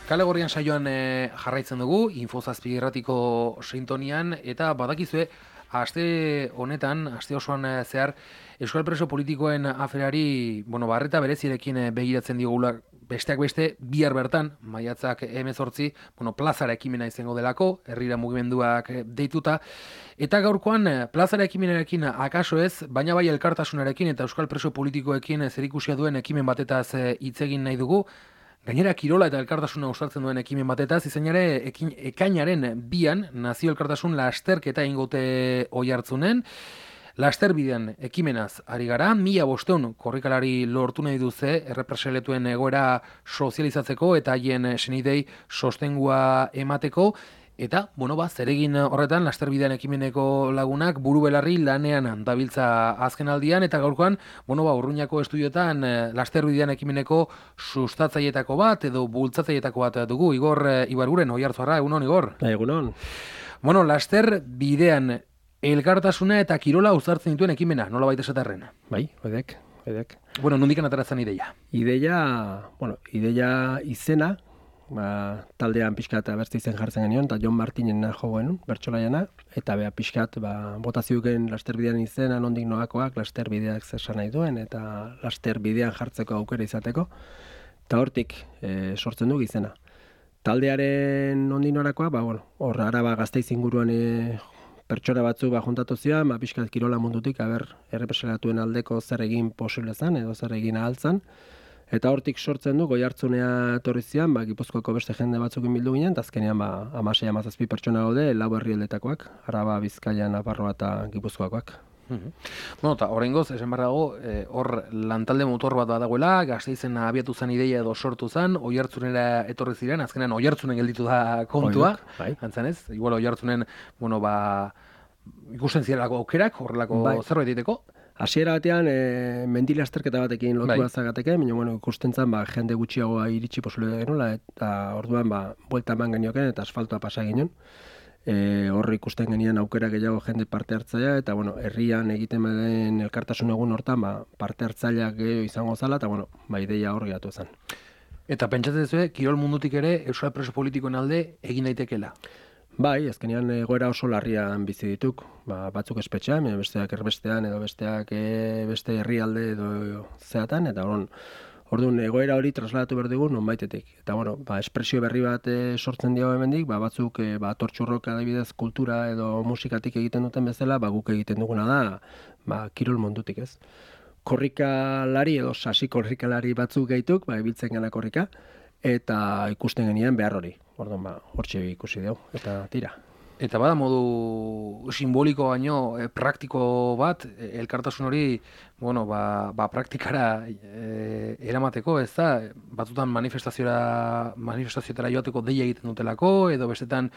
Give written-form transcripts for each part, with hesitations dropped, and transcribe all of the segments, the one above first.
Kale Gorrian saioan jarraitzen dugu, Infozazpi irratiko sintonian, eta badakizue, aste honetan, aste osoan zehar, Euskal Preso politikoen aferari, barreta berezirekin begiratzen digula, besteak beste, bihar bertan, maiatzak 18, plazara ekimena izango delako, herrira mugimenduak deituta, eta gaurkoan plazara ekimenarekin akaso ez, baina bai elkartasunarekin eta Euskal Preso politikoekin zerikusia duen ekimen batetaz hitz egin nahi dugu. Gainera, kirola eta elkartasuna uztartzen duen ekimen batetaz, izan ere, ekainaren 2an, nazio elkartasun lasterketa ingote Oiartzunen. Lasterbidean ekimenaz ari gara, 1500 korrikalari lortu nahi duze, errepresaletuen egoera sozializatzeko eta haien senidei sostengua emateko. Eta, zeregin horretan, lasterbidean ekimeneko lagunak buru belarri lanean dabiltza azken aldian, eta gaurkoan, Urruñako estudioetan lasterbidean ekimeneko sustatzaietako bat, edo bultzatzaietako bat dugu. Igor Ibarguren, Oiartzuarra, egunon, Igor? Egunon. Lasterbidean elkartasuna eta kirola uztartzen dituen ekimena, nola baita esaterren? Bai, edek. Nondikan ateratzen ideia? Ideia izena, taldean pixkat bertze izen jartzen genion, eta Jon Martinen jo genuen, bertsolaiana, eta pixkat botazioken lasterbidean izena, nondik noakoak, lasterbideak zesan nahi duen, eta lasterbidean jartzeko aukera izateko, eta hortik sortzen du izena. Taldearen nondik norakoa, hor Araba Gasteiz inguruan pertsona batzuk juntatu zian, pixkat kirola mundutik, errepresalatuen aldeko zer egin posible zen, edo zer egin ahal zen. Eta hortik sortzen du, Oiartzunea etorri zian, Gipuzkoako beste jende batzukin bildu ginen, eta azkenean 16-17 pertsona gaude, 4 herrialdetakoak, Araba, Bizkaia, Nafarroa eta Gipuzkoakoak. Eta oraingoz, esan behar dago, hor lantalde motor bat badagoela, Gasteizen abiatu zen ideia edo sortu zen, Oiartzunera etorri ziren, azkenean Oiartzunen gelditu da kontua, antzan ez? Igual Oiartzunen, ikusten zirelako aukerak, horrelako zerbait egiteko? Hasiera batean, mendi lasterketa batekin lotua zagateke, baina ikusten zen jende gutxiagoa iritsi posible genuela, eta orduan buelta eman genioken eta asfaltoa pasa ginen. Horri ikusten genian aukera gehiago jende parte hartzailea, eta herrian egiten den elkartasun egun hortan parte hartzaileak gehiago izango zala, eta ideia hor geratu zen. Eta pentsatzen zuen, kirol mundutik ere Euskal Preso politikoen alde egin daitekela? Bai, azkenean egoera oso larrian bizi dituk, batzuk espetxean, besteak erbestean, edo besteak beste herrialde edo zeatan, eta orduan egoera hori trasladatu behar dugu nonbaitetik. Eta espresio berri bat sortzen diago hemendik, batzuk tortxurrok adibidez kultura edo musikatik egiten duten bezala, guk egiten duguna da, kirol mundutik ez. Korrikalari edo sasi korrikalari batzuk gaituk, ibiltzen gana korrika, eta ikusten genien behar hori. Orduan, hortxe ikusi dugu, eta tira. Eta bada modu simboliko baino praktiko bat, elkartasun hori, praktikara eramateko, ez da, batzutan manifestazioetara joateko deia egiten dutelako, edo bestetan,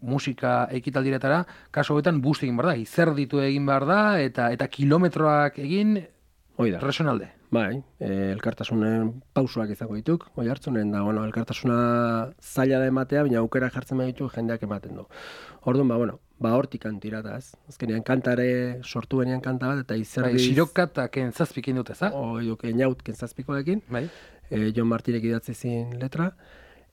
musika ekitaldiretara, kaso hobetan busti egin behar da, izerditu egin behar da, eta kilometroak egin, resonalde. Bai, elkartasunen pausoak izango dituk, Oiartzunen da, elkartasuna zaila da ematea, baina aukera jartzen ditu jendeak ematen du. Orduan, hortik antirata, ez? Azkenean kantare sortu benean kanta bat, eta izerdiz... Siroka eta kentzazpikin dut, ez da? Enaut kentzazpikoekin, Jon Martirek idatzi zin letra,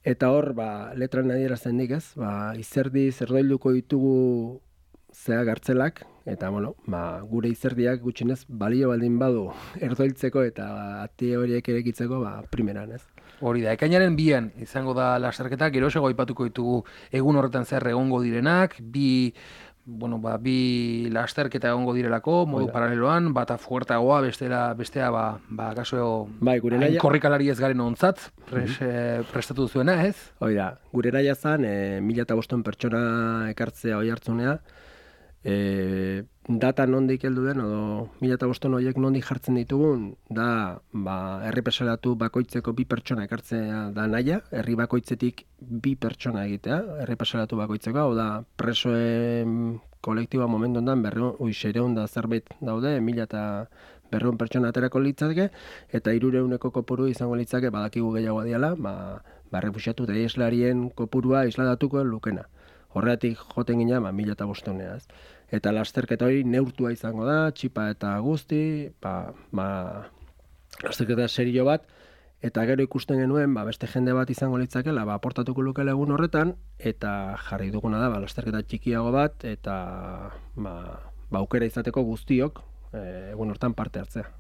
eta hor, letran adierazten dik, ez? Izerdiz erdoilduko ditugu zea gartzelak, eta gure izerdiak gutxinez balio baldin badu erdoiltzeko eta ati horiek erekitzeko primeran, ez? Hori da, ekainaren 2an izango da lasterketa, geroxego aipatuko ditugu egun horretan zer egongo direnak, bi lasterketa egongo direlako, modu paraleloan, bata fuertagoa, bestea kaso korrikalari ez garen ontzat, prestatu zuena, ez? Hoi da, gure naia zan, 1500 pertsona ekartzea Oiartzunea, data nondik heldu den, edo 1500 horiek nondik jartzen ditugun, da errepresalatu bakoitzeko 2 pertsona ekartzea da naia, herri bakoitzetik 2 pertsona egitea, errepresalatu bakoitzeko, hau da presoen kolektiboa momentu ondan 600 da zerbait daude, 1200 pertsona aterako litzateke, eta 300 kopuru izango litzake, badakigu gehiago diala, refuxiatu eta islarien kopurua isladatuko lukena. Horregatik joten gina, 1500 ez. Eta lasterketa hori neurtua izango da, txipa eta guzti, lasterketa serio bat, Eta gero ikusten genuen, beste jende bat izango litzakela, aportatuko lukela egun horretan, eta jarri duguna da, lasterketa txikiago bat, eta aukera izateko guztiok egun hortan parte hartzea.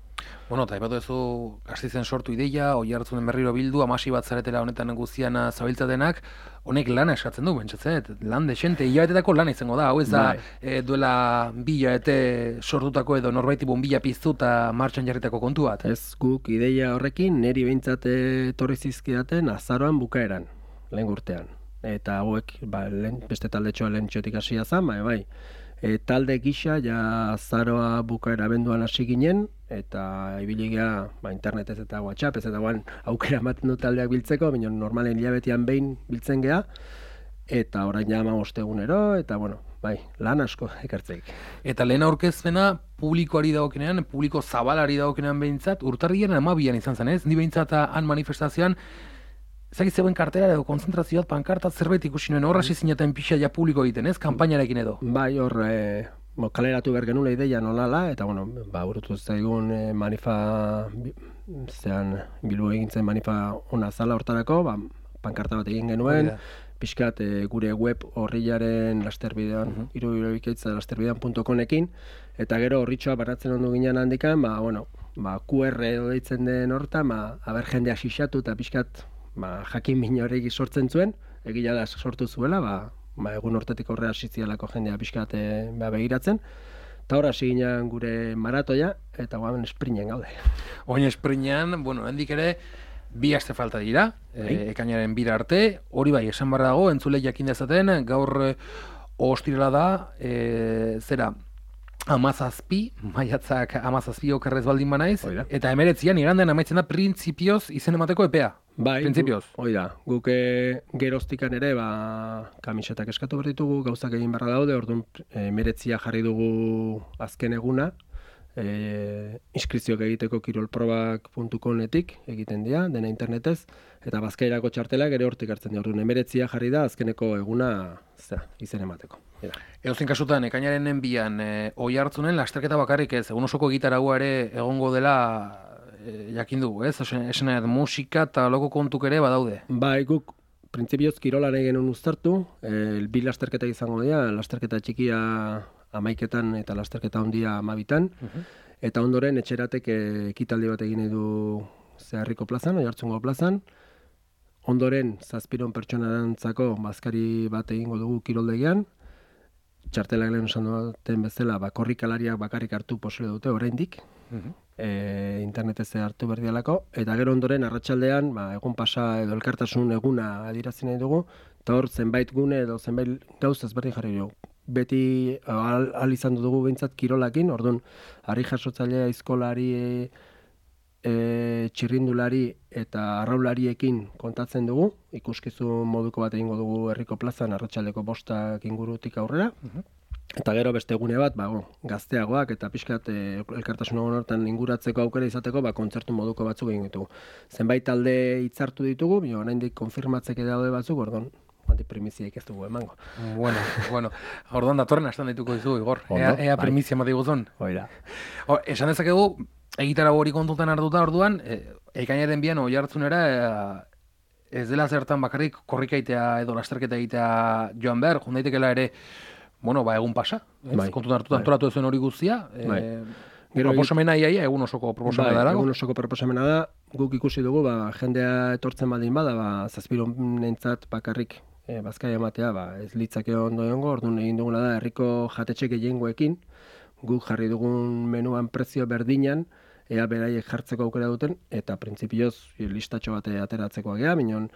Bueno, eta ipatu duzu Gasteizen sortu ideia, Oiartzunen berriro bildu, amasi bat zaretela honetan guztian zabiltzatenak, honek lana eskatzen du, bentsatzet, lan desente, hilabetetako lana izango da, hau ez da duela 2 hilabete sortutako edo norbaiti bonbila piztu eta martxan jarritako kontu bat. Ez, guk ideia horrekin niri behintzat etorri zizkidaten azaroan bukaeran, lehen urtean. Eta hauek, beste taldetxoa lehen txotik hasia zan, bai. Talde gisa, ja azaroa bukaera abenduan hasi ginen, eta ibiligea internetez eta WhatsApp, ez eta aukera ematen du taldeak biltzeko, baina normalen hilabetean behin biltzen gea, eta orain ja 15 egunero, eta lan asko ekartzeik. Eta lehen aurkezpena publikoari dagokenean, publiko zabalari dagokenean behintzat, urtarrian 12an izan zen, ez? Ni behintzat han manifestazioan, ezagit zegoen kartera edo konzentrazioat, pankartat zerbait ikusi nuen, horra zineten pixa ja publiko egiten, ez? Kanpainarekin edo. Bai, hor, kaleratu behar genula ideia nolala, eta burutu zaigun Bilbo egintzen manifa ona zala hortarako, pankarta bat egin genuen, pixkat gure web horrilaren lasterbidean, irubikaitza lasterbidean.comekin, eta gero horritxoa baratzen ondu ginen handikan, QR edo deitzen den hortan, aber jendea xixatu eta pixkat jakin min horrek sortzen zuen, egila da sortu zuela, egun hortetik horre hasizialako jendea pixkat begiratzen, eta horra hasi ginen gure maratoia, eta guamen esprinen gaude. Oin esprinean, hendik ere, 2 aste falta dira, ekainaren 2 arte, hori bai, esan barra dago, entzule jakin dezaten, gaur ostirala da, zera, 17, maiatzak 17 okerrez baldin banaiz, eta 19an igandean amaitzen da printzipioz izen emateko epea. Bai, guk geroztikan ere kamisetak eskatu behar ditugu, gauzak egin barra daude, orduan 19 jarri dugu azken eguna, inskripzioak egiteko kirolprobak.cometik egiten dira, dena internetez, eta bazkairako txartelak ere hortik hartzen dira, orduan 19 jarri da azkeneko eguna izen emateko. Edozein kasutan, ekainaren 2an Oiartzunen lasterketa bakarrik ez, egun osoko gitaragua ere egongo dela jakin dugu, ez? Esan musika eta loko kontuk ere badaude. Bai, guk printzipioz kirolan egin uztartu, 2 lasterketa izango dira, lasterketa txikia 11etan eta lasterketa handia 12etan, eta ondoren etxeratek ekitaldi bat egin du Zeharriko plazan, Oiartzungo plazan, ondoren 700 pertsonarantzako bazkari bat egingo dugu kiroldegian, txartelak lehen esan duten bezala, korrikalariak bakarrik hartu posible dute oraindik, internetez hartu berdialako, eta gero ondoren arratsaldean egun pasa edo elkartasun eguna adirazi nahi dugu, eta hor zenbait gune edo zenbait gauz ezberdin jarri dugu. Beti ahal izan dugu behintzat kirolakin, orduan harri jasotzailea aizkolari, txirrindulari eta arraulariekin kontatzen dugu, ikuskizun moduko bat egingo dugu herriko plazan arratsaldeko 5 ingurutik aurrera, eta gero beste egune bat, gazteagoak eta pixkat elkartasun horretan inguratzeko aukera izateko, kontzertu moduko batzuk egin ditugu. Zenbait talde hitzartu ditugu, oraindik konfirmatzeke daude batzuk, orduan primiziaik ez dugu emango. Bueno, orduan datorren astan dituko dizu, Igor. Ea primizia mati guzon. Esan dezakegu, egitara hori kontutan hartuta orduan, ekainaren 2an Oiartzunera ez dela zertan bakarrik korrikaitea edo lasterketa egitea joan behar, jondaitekela ere, egun pasa, kontutan hartuta antolatu zuen hori guztia, proposamena iaia egun osoko proposamena da. Egun osoko proposamena da, guk ikusi dugu, jendea etortzen baldin bada, 700 bakarrik bazkaia ematea, ez litzake ondo egongo, orduan egin duguna da, herriko jatetxe gehiengoekin, guk jarri dugun menuan prezio berdinan, ea beraiek jartzeko aukera duten, eta printzipioz listatxo bat ateratzeko agea, minon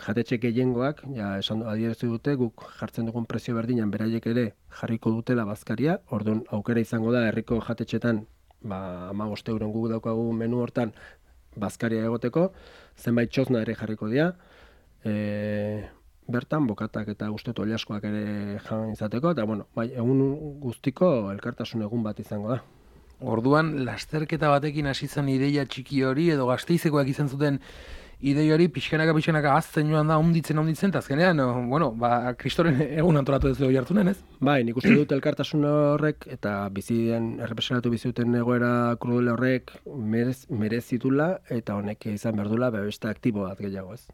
jatetxe gehiengoak, esan adieraztu dute, guk jartzen dugun prezio berdinan beraiek ere jarriko dutela bazkaria, orduan aukera izango da herriko jatetxetan, 15 euron guk daukagu menu hortan bazkaria egoteko, zenbait txosna ere jarriko dira, bertan bokatak eta ustetu oliaskoak ere jan izateko, eta egun guztiko elkartasun egun bat izango da. Orduan, lasterketa batekin hasi zen ideia txiki hori, edo Gasteizekoak izan zuten idei hori pixkanaka azten joan da, onditzen, eta azkenean, bueno, kristoren egun antolatu ez dugu jartunen, ez? Bai, nik uste dut elkartasun horrek eta errepresionatu bizuten egoera krudele horrek merezitula eta honek izan behar dula beste aktibo bat gehiago, ez?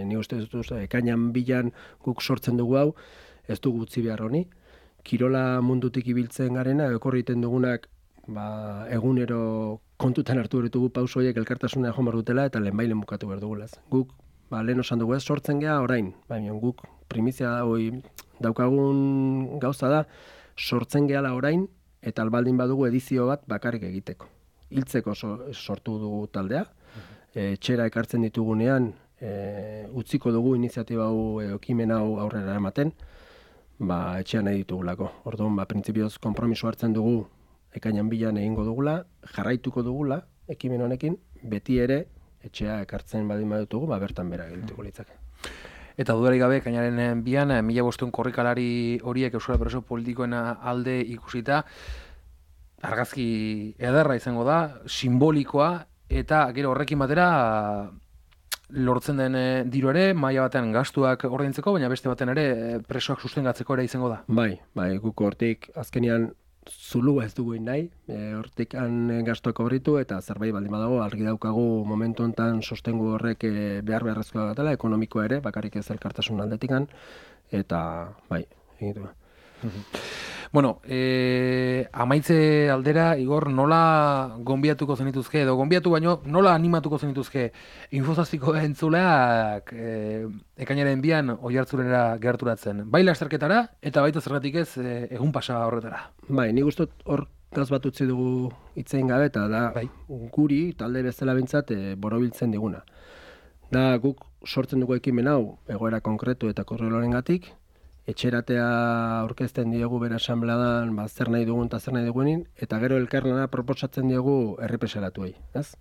Nik uste dut, ekainan bilan guk sortzen dugu hau, ez dugu utzi behar honi. Kirola mundutik ibiltzen garena, ekorriten dugunak egunero kontutan hartu ditugu pauso horiek elkartasuna joan behar dutela eta lehenbailen bukatu behar dugula. Guk, lehen osan dugu ez, sortzen geha orain, baina guk primizia daukagun gauza da, sortzen gehala orain eta albaldin badugu edizio bat bakarrik egiteko. Hiltzeko sortu dugu taldea, etxera ekartzen ditugunean, utziko dugu iniziatiba hau, ekimen hau aurrera ematen, etxean nahi ditugulako. Orduan, printzipioz konpromiso hartzen dugu ekainan bilan egingo dugula, jarraituko dugula ekimen honekin, beti ere etxea ekartzen badin badutugu, bertan bera egituko litzake. Eta dudarik gabe, ekainaren bian, 1500 korrikalari horiek Euskal Preso politikoen alde ikusita, argazki ederra izango da, simbolikoa, eta gero horrekin batera lortzen den diru ere, maila batean gastuak ordaintzeko, baina beste batean ere presoak sustengatzeko ere izango da. Bai, guk hortik azkenian zulua ez dugu nahi, hortik gastuak horritu eta zerbait baldin badago, argi daukagu momentu honetan sostengu horrek beharrezkoa gatela, ekonomikoa ere, bakarrik ez elkartasun aldetikan, eta bai, egitu. Bueno, amaitze aldera, Igor, nola gonbiatuko zenituzke, edo gonbiatu baino, nola animatuko zenituzke Infozazpiko entzuleak ekainaren bian oihartzunera gerturatzen? Bai lasterketara, eta baita zergatik ez egun pasa horretara. Bai, nik uste hor gaz bat utzi dugu hitzein gabe, eta da guri, talde bezala bintzat, borobiltzen diguna. Da guk sortzen dugu ekimen hau, egoera konkretu eta korrelorengatik, etxeratea aurkezten diegu bere asanbladan zer nahi dugun eta zer nahi duguenin, eta gero elkarlana proposatzen diegu errepresalatuei, ez?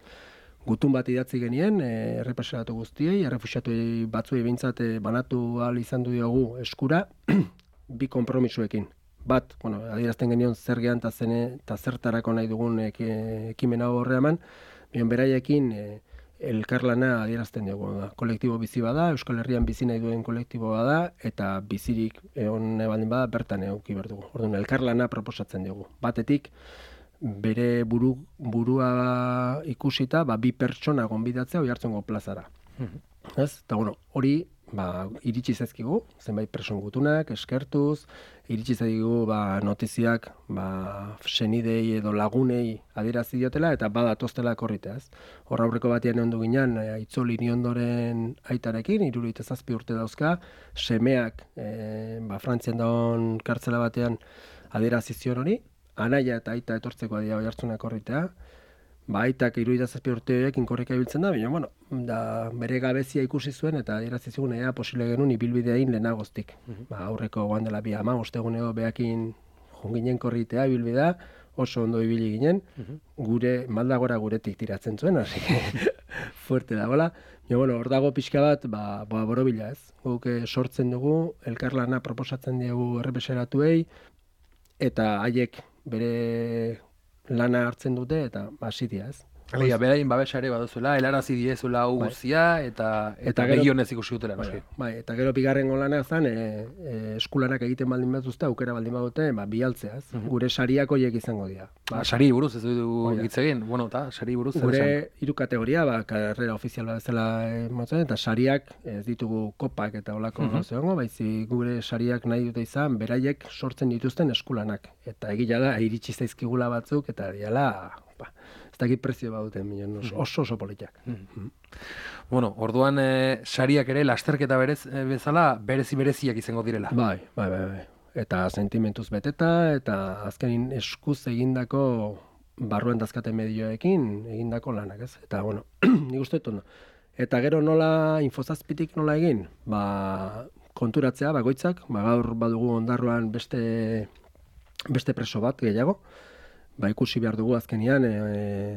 Gutun bat idatzi genien, errepresalatu guztiei, errefuxiatuei batzuei behintzat banatu ahal izan du diogu eskura, bi konpromisoekin. Bat, adierazten genion zer gehan eta zertarako nahi dugun ekimen hau horreaman, beraiekin elkarlana adierazten dugu. Kolektibo bizi bada, Euskal Herrian bizi nahi duen kolektibo bada, eta bizirik egon baldin bada bertan eduki behar dugu. Orduan, elkarlana proposatzen dugu. Batetik, bere burua ikusita, bi pertsona gonbidatzea Oiartzungo plazara. Ez? Eta hori iritsi zaizkigu, zenbait preson gutunak, eskertuz, iritsi zaizkigu notiziak senidei edo lagunei adierazi diotela eta badatoztela korritea. Hor aurreko batean ondu ginen, Itzol Iriondoren aitarekin, 77 urte dauzka, semeak Frantzian dagoen kartzela batean adierazi zion hori, anaia eta aita etortzeko adia Oiartzuna korritea, aitak 77 urte horiekin korrika ibiltzen da, baina, bere gabezia ikusi zuen eta adierazi zigun posible genuen ibilbideain lehenagoztik. Aurreko goan dela 15 egunero behakin jonginen korritea ibilbidea, oso ondo ibili ginen, gure maldagora guretik tiratzen zuen, hasi fuerte dagoela. Hor dago pixka bat, borobila ez. Guk sortzen dugu, elkarlana proposatzen dugu errepreseratuei, eta haiek bere lana hartzen dute eta hasitia ez. Alegia, beraien babesa ere baduzuela, helarazi diezuela hau guztia eta begionez ikusi dutela. Eta gero bigarren lana zen, eskulanak egiten baldin batuzte, aukera baldin badute, bialtzea ez. Gure sariak horiek izango dira. Sari buruz ez dugu hitz egin, eta sari buruz. Gure 3 kategoria, karrera ofizial bezala motzen, eta sariak ez ditugu kopak eta olako zegoengo, baizik gure sariak nahi dute izan, beraiek sortzen dituzten eskulanak. Eta egila da, iritsi zaizkigula batzuk, eta diala, ez dakit prezio baduten, oso politak. Orduan sariak ere lasterketa bezala bereziak izango direla. Bai. Eta sentimentuz beteta, eta azkenin eskuz egindako barruen dazkate medioekin egindako lanak, ez? Eta, nik uste dut. Eta gero nola, Infozazpitik nola egin? Konturatzea, bakoitzak, gaur badugu ondarruan beste preso bat gehiago, ikusi behar dugu azkenian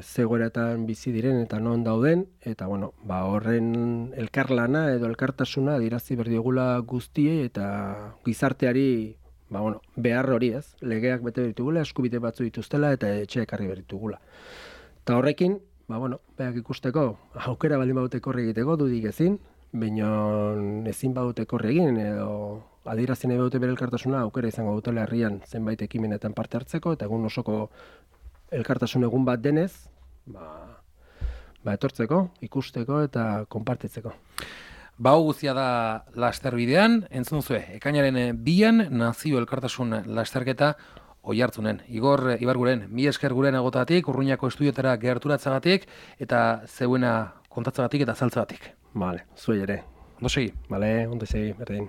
zegoeretan bizi diren eta non dauden, eta horren elkarlana edo elkartasuna adirazi berdiogula guztiei eta gizarteari behar hori ez, legeak bete ditugula, eskubide batzu dituztela eta etxe ekarri berditugula. Eta horrekin, beak ikusteko, aukera baldin badute korri egiteko, dudik ezin, baina ezin badute korri egin, edo adierazien nahi badute bere elkartasuna, aukera izango dutela herrian zenbait ekimenetan parte hartzeko, eta egun osoko elkartasun egun bat denez, etortzeko, ikusteko eta konpartitzeko. Hau guztia da lasterbidean, entzun zue, ekainaren 2an nazio elkartasun lasterketa Oiartzunen. Igor Ibarguren, mi esker guren agotatik, Urruñako estudiotara gerturatzagatik, eta zeuena kontatzagatik eta saltzagatik. Vale, zuei ere. Ondo segi. Vale, ondo segi, berdin.